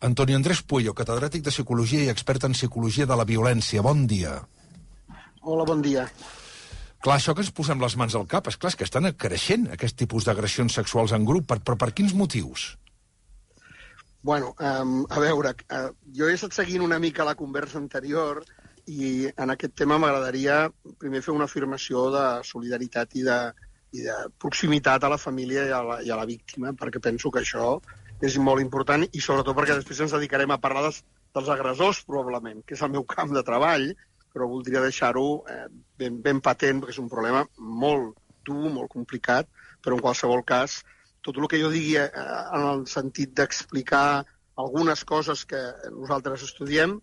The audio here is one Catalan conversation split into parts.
Antonio Andrés Puello, catedràtic de Psicologia i expert en Psicologia de la Violència. Bon dia. Hola, bon dia. Clar, això que ens posem les mans al cap, és que estan creixent aquest tipus d'agressions sexuals en grup. Però per quins motius? Bueno, a veure, jo he estat seguint una mica la conversa anterior i en aquest tema m'agradaria primer fer una afirmació de solidaritat i de proximitat a la família i a la víctima, perquè penso que això és molt important i sobretot perquè després ens dedicarem a parlar dels agressors, probablement, que és el meu camp de treball, però voldria deixar-ho ben patent, perquè és un problema molt dur, molt complicat, però en qualsevol cas, tot el que jo digui en el sentit d'explicar algunes coses que nosaltres estudiem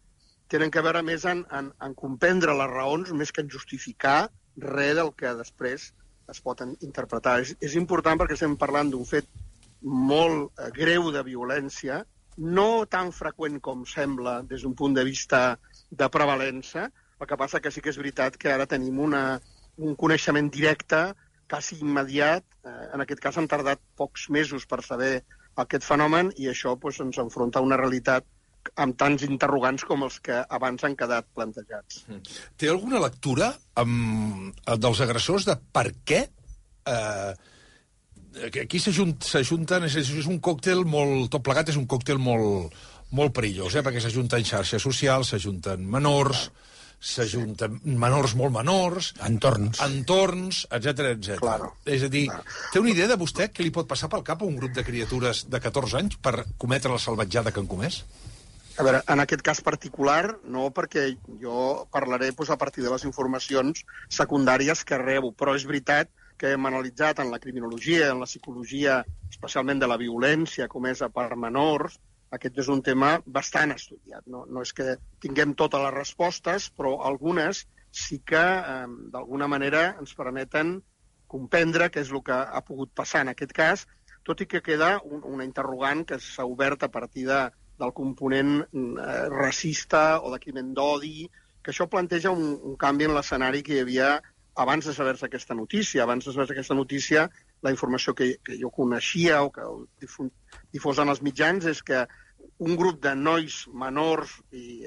tenen a veure més en comprendre les raons més que en justificar res del que després es pot interpretar. És important perquè estem parlant d'un fet molt greu de violència, no tan freqüent com sembla des d'un punt de vista de prevalença. El que passa que sí que és veritat que ara tenim un coneixement directe, quasi immediat. En aquest cas han tardat pocs mesos per saber aquest fenomen i això ens enfronta a una realitat amb tants interrogants com els que abans han quedat plantejats. Té alguna lectura dels agressors de per què aquí s'ajunten, és un còctel molt, tot plegat és un còctel molt perillós, perquè s'ajunten xarxes socials, s'ajunten menors, s'ajunten menors molt menors, entorns, etc. Claro. És a dir, té una idea de vostè què li pot passar pel cap a un grup de criatures de 14 anys per cometre la salvatjada que han comès? A veure, en aquest cas particular, no, perquè jo parlaré a partir de les informacions secundàries que rebo, però és veritat que hem analitzat en la criminologia, en la psicologia, especialment de la violència comesa per menors, aquest és un tema bastant estudiat. No és que tinguem totes les respostes, però algunes sí que, d'alguna manera, ens permeten comprendre què és el que ha pogut passar en aquest cas, tot i que queda una interrogant que s'ha obert a partir del component racista o de crimen d'odi, que això planteja un canvi en l'escenari que hi havia abans de saber-se aquesta notícia. Abans de saber-se aquesta notícia, la informació que jo coneixia o que difosen els mitjans és que un grup de nois menors i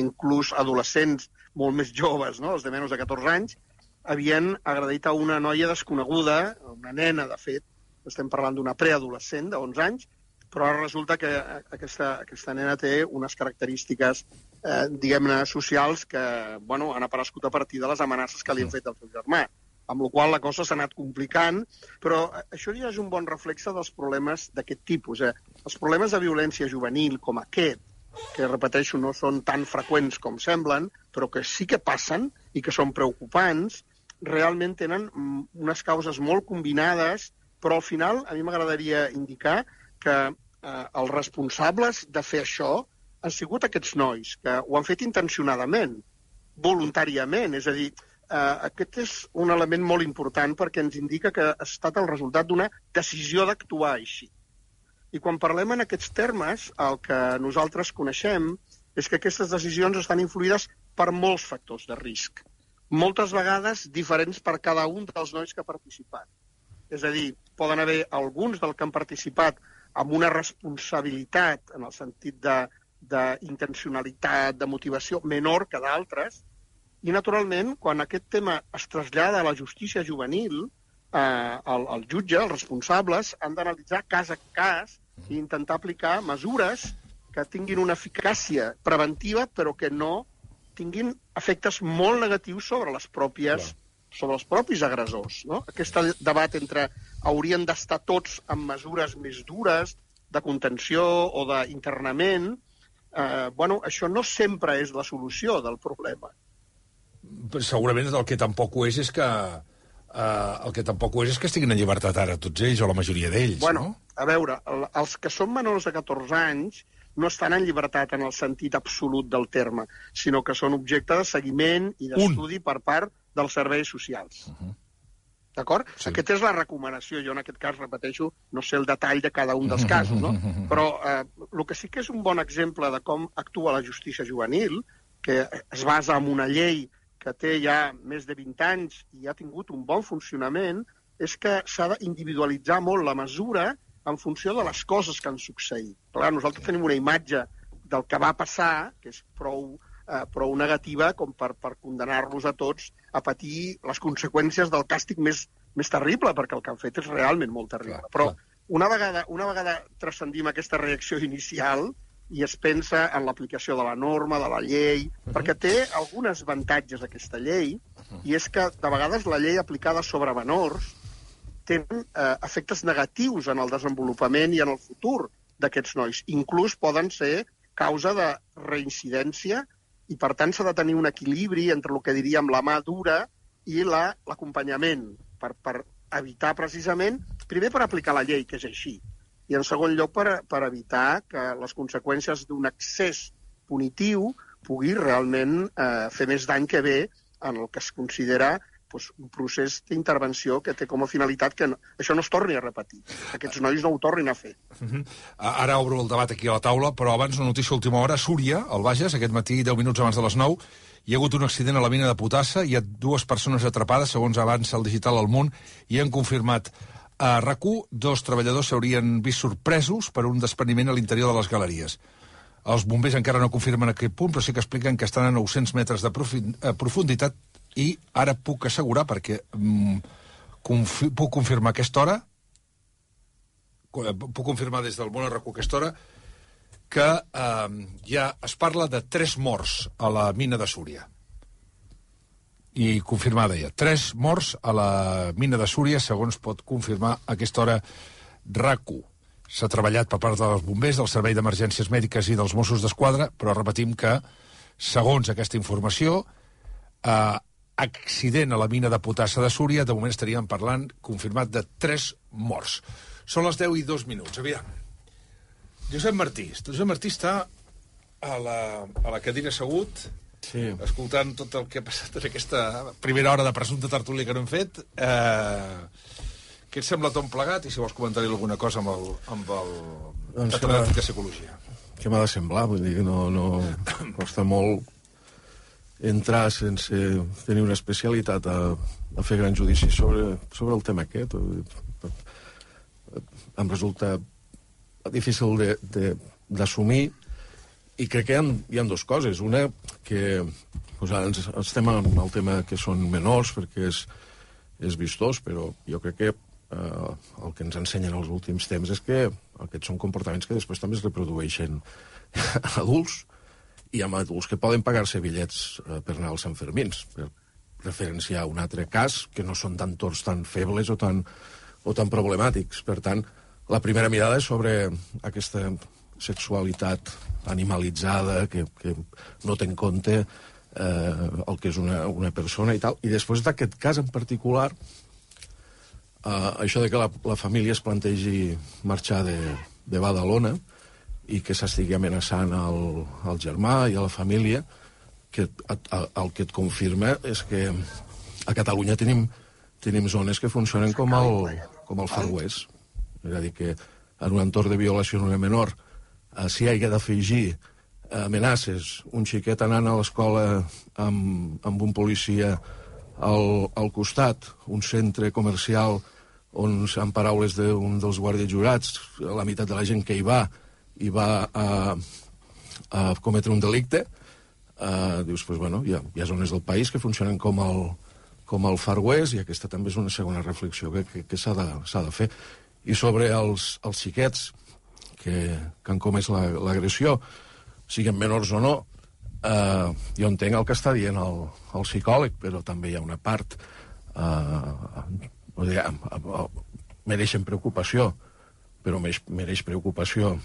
inclús adolescents molt més joves, no? Els de menys de 14 anys, havien agredit a una noia desconeguda, una nena, de fet, estem parlant d'una preadolescent de 11 anys, però ara resulta que aquesta nena té unes característiques, diguem-ne, socials que han aparegut a partir de les amenaces que li han fet al seu germà, amb la qual la cosa s'ha anat complicant, però això ja és un bon reflexe dels problemes d'aquest tipus. Els problemes de violència juvenil com aquest, que, repeteixo, no són tan freqüents com semblen, però que sí que passen i que són preocupants, realment tenen unes causes molt combinades, però al final a mi m'agradaria indicar que els responsables de fer això han sigut aquests nois, que ho han fet intencionadament, voluntàriament. És a dir, aquest és un element molt important perquè ens indica que ha estat el resultat d'una decisió d'actuar així. I quan parlem en aquests termes, el que nosaltres coneixem és que aquestes decisions estan influïdes per molts factors de risc, moltes vegades diferents per cada un dels nois que ha participat. És a dir, poden haver alguns del que han participat amb una responsabilitat en el sentit d'intencionalitat, de motivació menor que d'altres, i naturalment, quan aquest tema es trasllada a la justícia juvenil, el jutge, els responsables, han d'analitzar cas a cas i intentar aplicar mesures que tinguin una eficàcia preventiva, però que no tinguin efectes molt negatius sobre els propis agressors. No? Aquest debat entre haurien d'estar tots amb mesures més dures de contenció o d'internament, això no sempre és la solució del problema. Segurament el que tampoc ho és que estiguin en llibertat ara tots ells, o la majoria d'ells, no? A veure, els que són menors de 14 anys no estan en llibertat en el sentit absolut del terme, sinó que són objecte de seguiment i d'estudi per part dels serveis socials. D'acord? Sí. Aquesta és la recomanació. Jo, en aquest cas, repeteixo, no sé el detall de cada un dels casos, no? Però el que sí que és un bon exemple de com actua la justícia juvenil, que es basa en una llei que té ja més de 20 anys i ha tingut un bon funcionament, és que s'ha d'individualitzar molt la mesura en funció de les coses que han succeït. Clar, nosaltres tenim una imatge del que va passar, que és prou negativa com per condenar-los a tots a patir les conseqüències del càstig més terrible, perquè el que han fet és realment molt terrible. Però una vegada transcendim aquesta reacció inicial i es pensa en l'aplicació de la norma, de la llei, perquè té alguns avantatges aquesta llei, i és que de vegades la llei aplicada sobre menors té efectes negatius en el desenvolupament i en el futur d'aquests nois. Inclús poden ser causa de reincidència i, per tant, s'ha de tenir un equilibri entre el que diríem la mà dura i l'acompanyament per evitar precisament, primer per aplicar la llei, que és així, i en segon lloc per evitar que les conseqüències d'un excés punitiu pugui realment fer més dany que bé en el que es considera un procés d'intervenció que té com a finalitat que això no es torni a repetir, que aquests nois no ho tornin a fer. Ara obro el debat aquí a la taula, però abans una notícia a última hora. A Súria, al Bages, aquest matí, 10 minuts abans de les 9, hi ha hagut un accident a la mina de potassa, hi ha 2 persones atrapades, segons avança el Digital al Munt, i han confirmat a RAC1, 2 treballadors s'haurien vist sorpresos per un despreniment a l'interior de les galeries. Els bombers encara no confirmen a aquest punt, però sí que expliquen que estan a 900 metres de profunditat. I ara puc assegurar, perquè puc confirmar a aquesta hora, puc confirmar des del món RAC1 a aquesta hora, que ja es parla de 3 morts a la mina de Súria. I confirmar, deia, 3 morts a la mina de Súria, segons pot confirmar a aquesta hora RAC1. S'ha treballat per part dels bombers, del Servei d'Emergències Mèdiques i dels Mossos d'Esquadra, però repetim que, segons aquesta informació, accident a la mina de potassa de Súria, de moment estaríem parlant, confirmat, de 3 morts. Són les 10 i 2 minuts. Aviam. Josep Martí està a la cadira assegut, sí, escoltant tot el que ha passat en aquesta primera hora de presumpte tertúlia que no hem fet. Què et sembla tot plegat? I si vols comentar-hi alguna cosa amb el catedràtic de psicologia. Què m'ha de semblar? Vull dir que no costa molt entrar sense tenir una especialitat a fer gran judici sobre el tema aquest. Em resulta difícil d'assumir, i crec que hi ha 2 coses. Una, que ens estem en el tema que són menors, perquè és vistós, però jo crec que el que ens ensenyen els últims temps és que aquests són comportaments que després també es reprodueixen en adults, i amb adults que poden pagar-se bitllets per anar als Sanfermins, per referenciar un altre cas, que no són tan torts tan febles o tan problemàtics. Per tant, la primera mirada és sobre aquesta sexualitat animalitzada que no té en compte el que és una persona i tal. I després d'aquest cas en particular, això de que la família es plantegi marxar de Badalona i que s'estigui amenaçant al germà i a la família, que el que et confirma és que a Catalunya tenim zones que funcionen com el Far West. És a dir, que en un entorn de violació en una menor s'hi hagi d'afegir amenaces, un xiquet anant a l'escola amb un policia al costat, un centre comercial on, en paraules d'un dels guàrdies jurats, la meitat de la gent que hi va a cometre un delicte, dius, doncs, bueno, hi ha zones del país que funcionen com el Far West, i aquesta també és una segona reflexió que s'ha de fer. I sobre els xiquets que han comès l'agressió, siguin menors o no, jo entenc el que està dient el psicòleg, però també hi ha una part mereixen preocupació, però mereix preocupació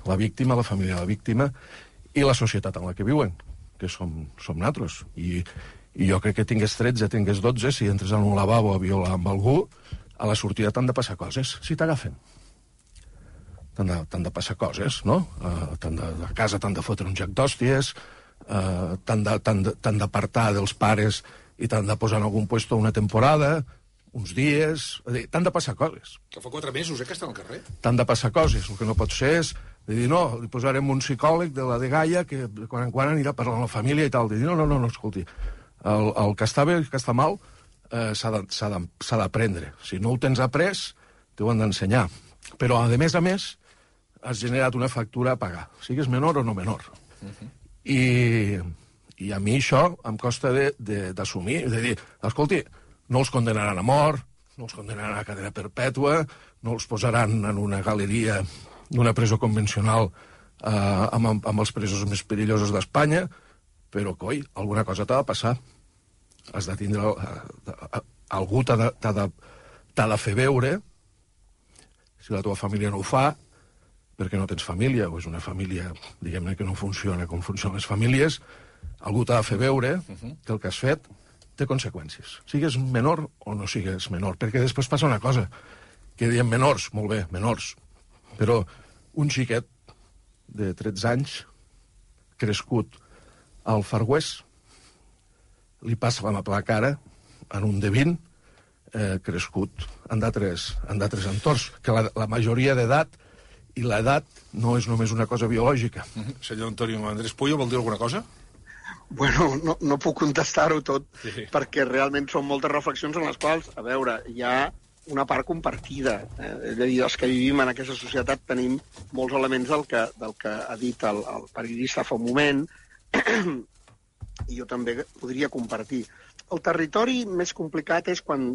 la víctima, la família de la víctima i la societat en la que viuen, que som nosaltres. I jo crec que tingués 13, tingués 12, si entres en un lavabo a violar amb algú, a la sortida t'han de passar coses, si t'agafen. T'han de passar coses, no? A casa t'han de fotre un joc d'hòsties, t'han d'apartar dels pares i t'han de posar en algun puesto una temporada, uns dies... T'han de passar coses. Que fa 4 mesos, que està al carrer. T'han de passar coses. El que no pot ser és dir, no, li posarem un psicòleg de la de Gaia que de quan en quan anirà parlant amb la família i tal. Dir, no, escolti, el que està bé i el que està mal s'ha d'aprendre. Si no ho tens après, t'ho han d'ensenyar. Però, a més, has generat una factura a pagar, sigues menor o no menor. I a mi això em costa d'assumir, de dir, escolti, no els condenaran a mort, no els condenaran a cadena perpètua, no els posaran en una galeria d'una presó convencional amb els presos més perillosos d'Espanya, però, coi, alguna cosa t'ha de passar. Has de tindre... Algú t'ha de fer veure, si la teva família no ho fa, perquè no tens família, o és una família, diguem-ne, que no funciona com funcionen les famílies, algú t'ha de fer veure que el que has fet té conseqüències. Sigues menor o no sigues menor, perquè després passa una cosa, que diem menors, molt bé, menors, però un xiquet de 13 anys, crescut al Far West, li passa la mà per la cara en un de 20, crescut en d'altres entorns, que la majoria d'edat i l'edat no és només una cosa biològica. Senyor Antonio Andrés Puyo, vol dir alguna cosa? Bueno, no puc contestar-ho tot, Sí. perquè realment són moltes reflexions en les quals, a veure, hi ha una part compartida. És a dir, els que vivim en aquesta societat tenim molts elements del que ha dit el periodista fa un moment, i jo també podria compartir. El territori més complicat és quan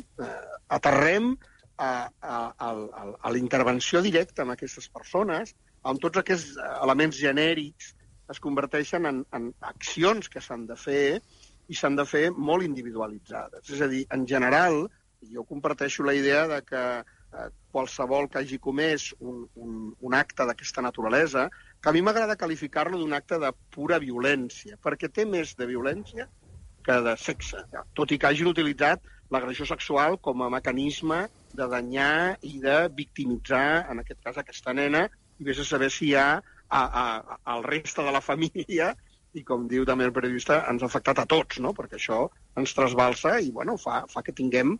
aterrem a la intervenció directa amb aquestes persones, on tots aquests elements genèrics es converteixen en accions que s'han de fer, i s'han de fer molt individualitzades. És a dir, en general, jo comparteixo la idea de que qualsevol que hagi comès un acte d'aquesta naturalesa, que a mi m'agrada qualificar-lo d'un acte de pura violència, perquè té més de violència que de sexe, tot i que hagin utilitzat l'agressió sexual com a mecanisme de danyar i de victimitzar, en aquest cas, aquesta nena, i vés a saber si hi ha al reste de la família, i com diu també el periodista, ens ha afectat a tots, no? Perquè això ens trasbalsa i bueno, fa que tinguem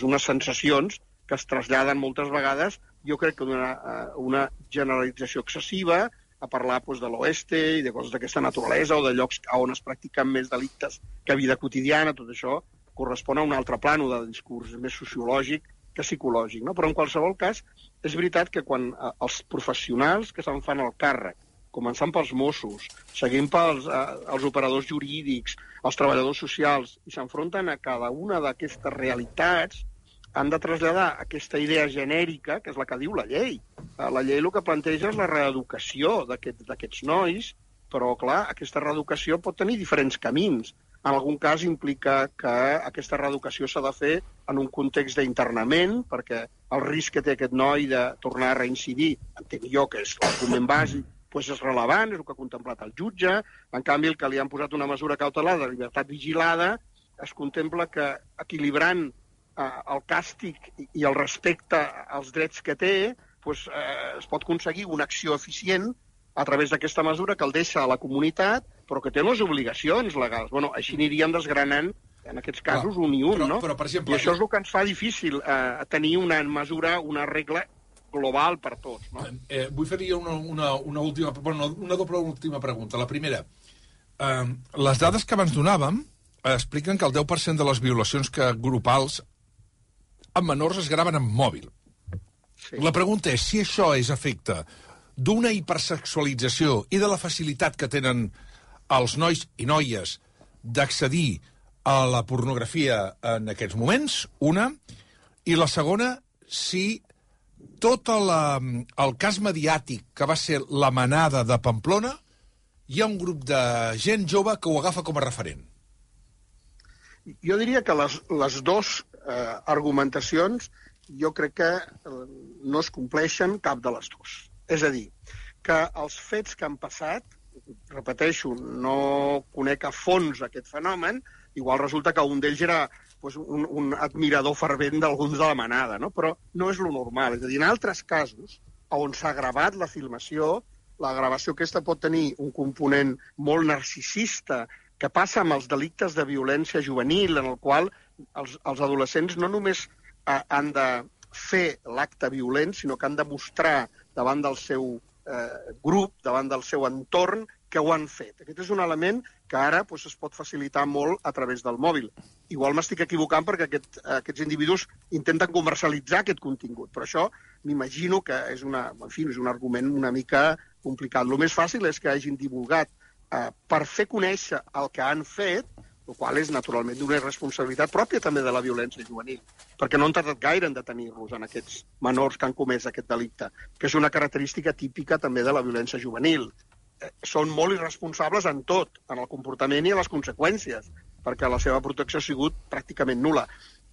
unes sensacions que es traslladen moltes vegades, jo crec que una generalització excessiva, a parlar de l'oeste i de coses d'aquesta naturalesa o de llocs on es practiquen més delictes que vida quotidiana, tot això correspon a un altre plano de discurs més sociològic que psicològic, no? Però en qualsevol cas és veritat que quan els professionals que se'n fan el càrrec, començant pels Mossos, seguint pels operadors jurídics, els treballadors socials, i s'enfronten a cada una d'aquestes realitats, han de traslladar aquesta idea genèrica, que és la que diu la llei. La llei el que planteja és la reeducació d'aquests nois, però, clar, aquesta reeducació pot tenir diferents camins. En algun cas implica que aquesta reeducació s'ha de fer en un context d'internament, perquè el risc que té aquest noi de tornar a reincidir, entenc jo que és l'argument bàsic, és rellevant, és el que ha contemplat el jutge. En canvi, el que li han posat una mesura cautelar de llibertat vigilada, es contempla que equilibrant el càstig i el respecte als drets que té, es pot aconseguir una acció eficient a través d'aquesta mesura que el deixa a la comunitat, però que té unes obligacions legals. Bueno, així aniríem desgranant, en aquests casos, un i un, no? Però, per exemple, I això és el que ens fa difícil tenir una mesura, una regla global per tots, no? Vull fer-hi una doble última pregunta. La primera, les dades que abans donàvem expliquen que el 10% de les violacions grupals amb menors es graven amb mòbil. Sí. La pregunta és si això és efecte d'una hipersexualització i de la facilitat que tenen els nois i noies d'accedir a la pornografia en aquests moments, una, i la segona, si tot el cas mediàtic que va ser la manada de Pamplona, hi ha un grup de gent jove que ho agafa com a referent. Jo diria que les dues argumentacions jo crec que no es compleixen cap de les dues. És a dir, que els fets que han passat, repeteixo, no conec a fons aquest fenomen, igual resulta que un d'ells era un admirador fervent d'alguns de la manada, no? Però no és lo normal. És a dir, en altres casos, on s'ha gravat la filmació, la gravació aquesta pot tenir un component molt narcisista, que passa amb els delictes de violència juvenil, en el qual els adolescents no només han de fer l'acte violent, sinó que han de mostrar davant del seu grup, davant del seu entorn, que ho han fet. Aquest és un element que ara doncs, es pot facilitar molt a través del mòbil. Igual m'estic equivocant perquè aquests individus intenten comercialitzar aquest contingut, però això m'imagino que és un argument una mica complicat. El més fàcil és que hagin divulgat per fer conèixer el que han fet, el qual és naturalment una irresponsabilitat pròpia també de la violència juvenil, perquè no han tardat gaire en detenir-los en aquests menors que han comès aquest delicte, que és una característica típica també de la violència juvenil. Són molt irresponsables en tot, en el comportament i a les conseqüències, perquè la seva protecció ha sigut pràcticament nul·la.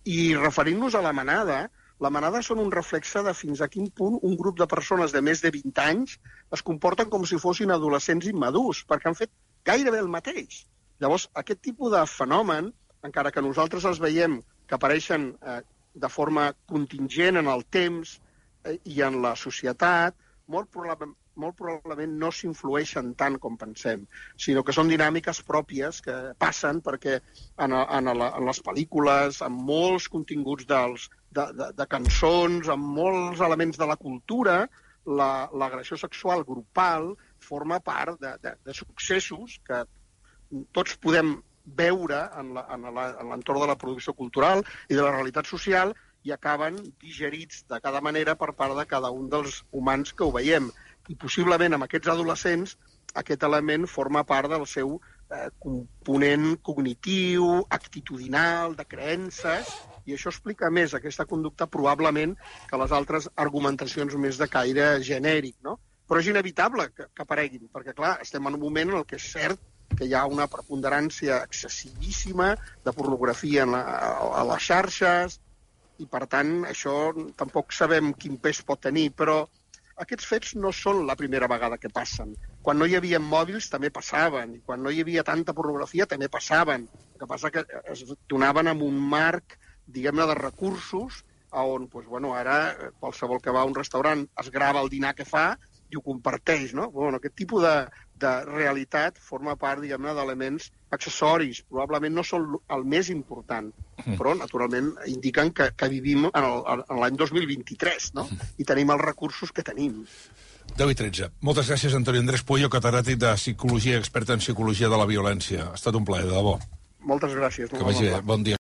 I referint-nos a la manada són un reflexe de fins a quin punt un grup de persones de més de 20 anys es comporten com si fossin adolescents immadurs, perquè han fet gairebé el mateix. Llavors, aquest tipus de fenomen, encara que nosaltres els veiem que apareixen de forma contingent en el temps i en la societat, molt probablement no s'influeixen tant com pensem, sinó que són dinàmiques pròpies que passen perquè en les pel·lícules, en molts continguts de cançons, en molts elements de la cultura, l'agressió sexual grupal forma part de successos que tots podem veure en l'entorn de la producció cultural i de la realitat social i acaben digerits de cada manera per part de cada un dels humans que ho veiem. I possiblement amb aquests adolescents aquest element forma part del seu component cognitiu, actitudinal, de creences, i això explica més aquesta conducta probablement que les altres argumentacions més de caire genèric, no? Però és inevitable que apareguin, perquè clar, estem en un moment en què és cert que hi ha una preponderància excessivíssima de pornografia a les xarxes, i per tant això tampoc sabem quin pes pot tenir, però aquests fets no són la primera vegada que passen. Quan no hi havia mòbils també passaven, i quan no hi havia tanta pornografia també passaven. El que passa que es donaven en un marc, diguem-ne, de recursos, on ara qualsevol que va a un restaurant es grava el dinar que fa i ho comparteix, no? Aquest tipus de realitat forma part, diguem-ne, d'elements accessoris. Probablement no són el més important, però, naturalment, indiquen que vivim en l'any 2023, no? I tenim els recursos que tenim. 10:13. Moltes gràcies, Antonio Andrés Pueyo, catedràtic de Psicologia, expert en Psicologia de la Violència. Ha estat un plaer, de debò. Moltes gràcies. Que vagi bé. Bon dia.